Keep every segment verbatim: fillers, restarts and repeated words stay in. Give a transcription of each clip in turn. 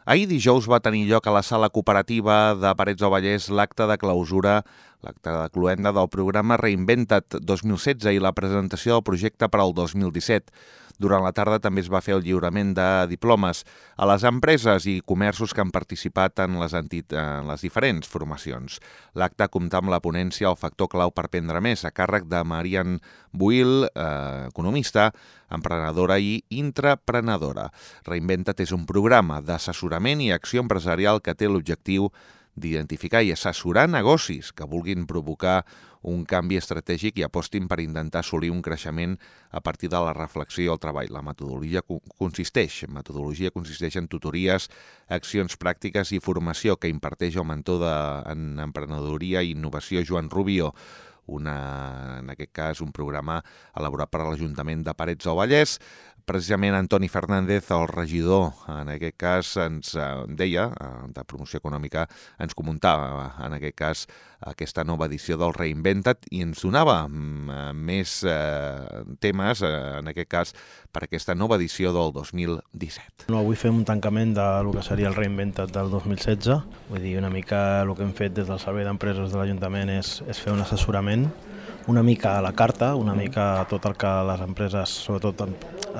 Ahir dijous va tenir lloc a la sala cooperativa de Parets del Vallès l'acte de clausura, l'acte de cloenda del programa Reinventa't dos mil setze i la presentació del projecte per al dos mil disset. Durant la tarda també es va fer el lliurament de diplomes a les empreses i comerços que han participat en les, entit en les diferents formacions. L'acte compta amb la ponència El factor clau per prendre més, a càrrec de Marian Buil, eh, economista, emprenedora i intraprenedora. Reinventa't és un programa d'assessorament i acció empresarial que té l'objectiu d'identificar i assessorar negocis que vulguin provocar un canvi estratègic i apostin per intentar assolir un creixement a partir de la reflexió i el treball. La metodologia consisteix, metodologia consisteix en tutories, accions pràctiques i formació que imparteix el mentor de, en emprenedoria i innovació Joan Rubio, una, en aquest cas un programa elaborat per l'Ajuntament de Parets del Vallès. Precisament Antoni Fernández, el regidor, en aquest cas ens deia, de promoció econòmica, ens comentava en aquest cas aquesta nova edició del Reinventa't i ens donava més eh, temes, eh, en aquest cas, per aquesta nova edició del dos mil disset. No, avui fem un tancament del que seria el Reinventa't del dos mil setze. Vull dir, una mica el que hem fet des del Servei d'Empreses de l'Ajuntament és, és fer un assessorament una mica a la carta, una mica tot el que les empreses, sobretot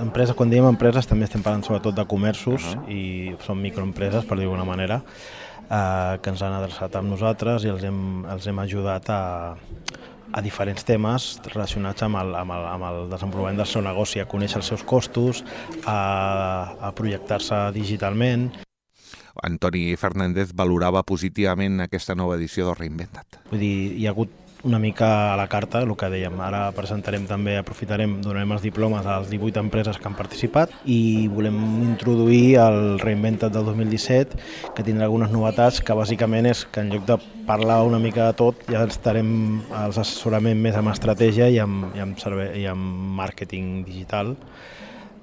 empreses, quan diem empreses també estem parlant sobretot de comerços uh-huh. i són microempreses, per dir d'alguna manera, eh, que ens han adreçat amb nosaltres i els hem, els hem ajudat a, a diferents temes relacionats amb el, amb el, amb el desenvolupament del seu negoci, a conèixer els seus costos, a, a projectar-se digitalment. Antoni Fernández valorava positivament aquesta nova edició del Reinventa't. Vull dir, hi ha hagut una mica a la carta, el que dèiem. Ara presentarem també, aprofitarem, donarem els diplomes a les divuit empreses que han participat i volem introduir el Reinventa't del dos mil disset, que tindrà algunes novetats, que bàsicament és que en lloc de parlar una mica de tot, ja estarem als assessorament més amb estratègia i amb, i amb, servei, i amb màrqueting digital.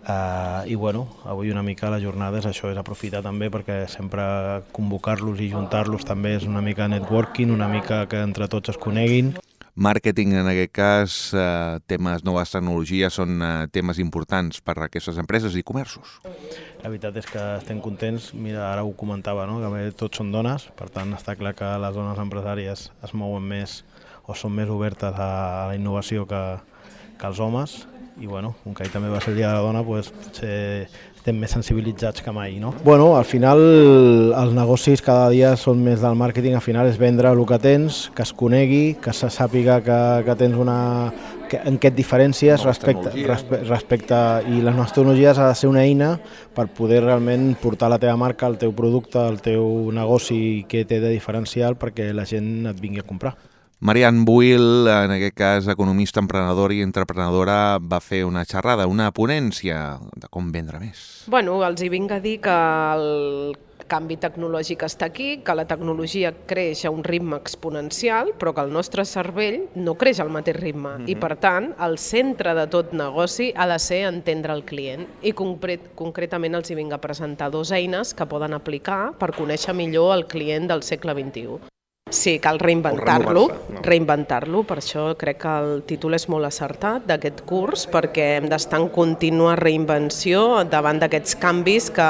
Uh, I bueno, avui una mica la jornada és això, és aprofitar també perquè sempre convocar-los i juntar-los també és una mica networking, una mica que entre tots es coneguin. Màrqueting, en aquest cas, eh, temes noves tecnologies són eh, temes importants per a aquestes empreses i comerços. La veritat és que estem contents, mira, ara ho comentava, no? Que tots són dones, per tant està clar que les dones empresàries es mouen més o són més obertes a la innovació que, que els homes. I bueno, com que ahir també va ser el dia de la dona, doncs potser estem més sensibilitzats que mai, no? Bueno, al final els negocis cada dia són més del màrqueting, al final és vendre el que tens, que es conegui, que se sàpiga que, que tens una... Que, en què et diferències respecte, respecte, respecte... I les noves tecnologies ha de ser una eina per poder realment portar la teva marca, el teu producte, el teu negoci que té de diferencial perquè la gent et vingui a comprar. Marian Buil, en aquest cas economista, emprenedora i intraprenedora, va fer una xerrada, una ponència de com vendre més. Bueno, els hi vinc a dir que el canvi tecnològic està aquí, que la tecnologia creix a un ritme exponencial, però que el nostre cervell no creix al mateix ritme. Mm-hmm. I per tant, el centre de tot negoci ha de ser entendre el client. I concret, concretament els hi vinc a presentar dues eines que poden aplicar per conèixer millor el client del segle vint-i-u. Sí, cal reinventar-lo, no? reinventar-lo, per això crec que el títol és molt acertat d'aquest curs, perquè hem d'estar en contínua reinvenció davant d'aquests canvis que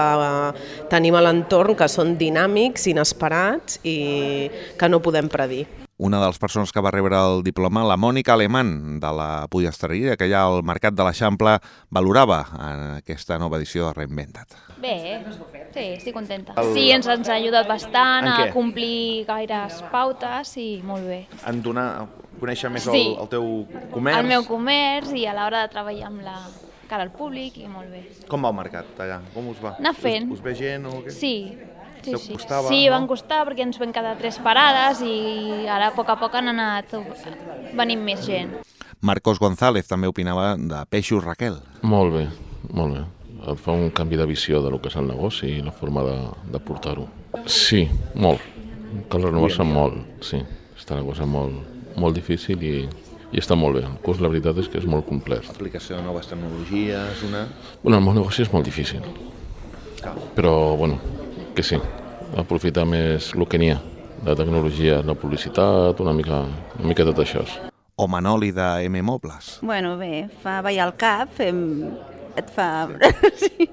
tenim a l'entorn, que són dinàmics, inesperats i que no podem predir. Una de les persones que va rebre el diploma, la Mònica Alemán, de la pollesteria, que hi ha al Mercat de l'Eixample, valorava en aquesta nova edició de Reinventa't. Bé, sí, estic contenta. Sí, ens, ens ha ajudat bastant a complir gaires pautes i molt bé. En donar, conèixer més sí, el, el teu comerç? El meu comerç i a l'hora de treballar amb la cara al públic i molt bé. Com va el mercat allà? Com us va? Anar fent. Us, us ve gent o què? Sí. Sí, sí. Costava, sí, no? van costar perquè ens vam quedar tres parades i ara a poc a poc han anat venint més gent. Marcos González també opinava de Peixos Raquel. Molt bé, molt bé. Fa un canvi de visió de lo que és el negoci i la forma de, de portar-ho. Sí, molt. Cal renovar-se molt, sí. Està la cosa molt, molt difícil i, i està molt bé. El curs, la veritat, és que és molt complet. Aplicació de noves tecnologies, una... Bueno, el meu negoci és molt difícil. Cal. Però, bueno, que sí, aprofitar més el que n'hi ha, la tecnologia, la publicitat, una mica, una mica tot això. O Manoli de M Mobles. Bueno, bé, fa ballar el cap, fem et fa, sí,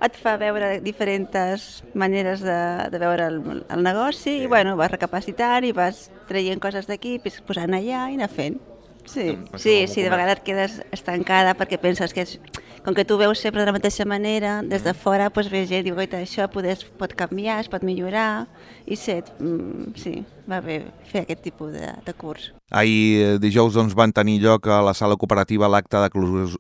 et fa veure diferents maneres de, de veure el, el negoci i bueno, vas recapacitant i vas traient coses d'aquí, posant allà i anar fent. Sí, sí, sí, de vegades et quedes estancada perquè penses que és, com que tu veus sempre de la mateixa manera, des de fora doncs ve gent i diu, oita, això poder, pot canviar, es pot millorar i set, mm, sí, va bé fer aquest tipus de, de curs. Ahir dijous doncs, van tenir lloc a la sala cooperativa l'acte de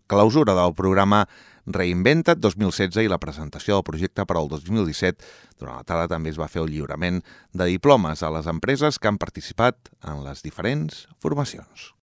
clausura del programa Reinventa't dos mil setze i la presentació del projecte per al dos mil disset. Durant la tarda també es va fer el lliurament de diplomes a les empreses que han participat en les diferents formacions.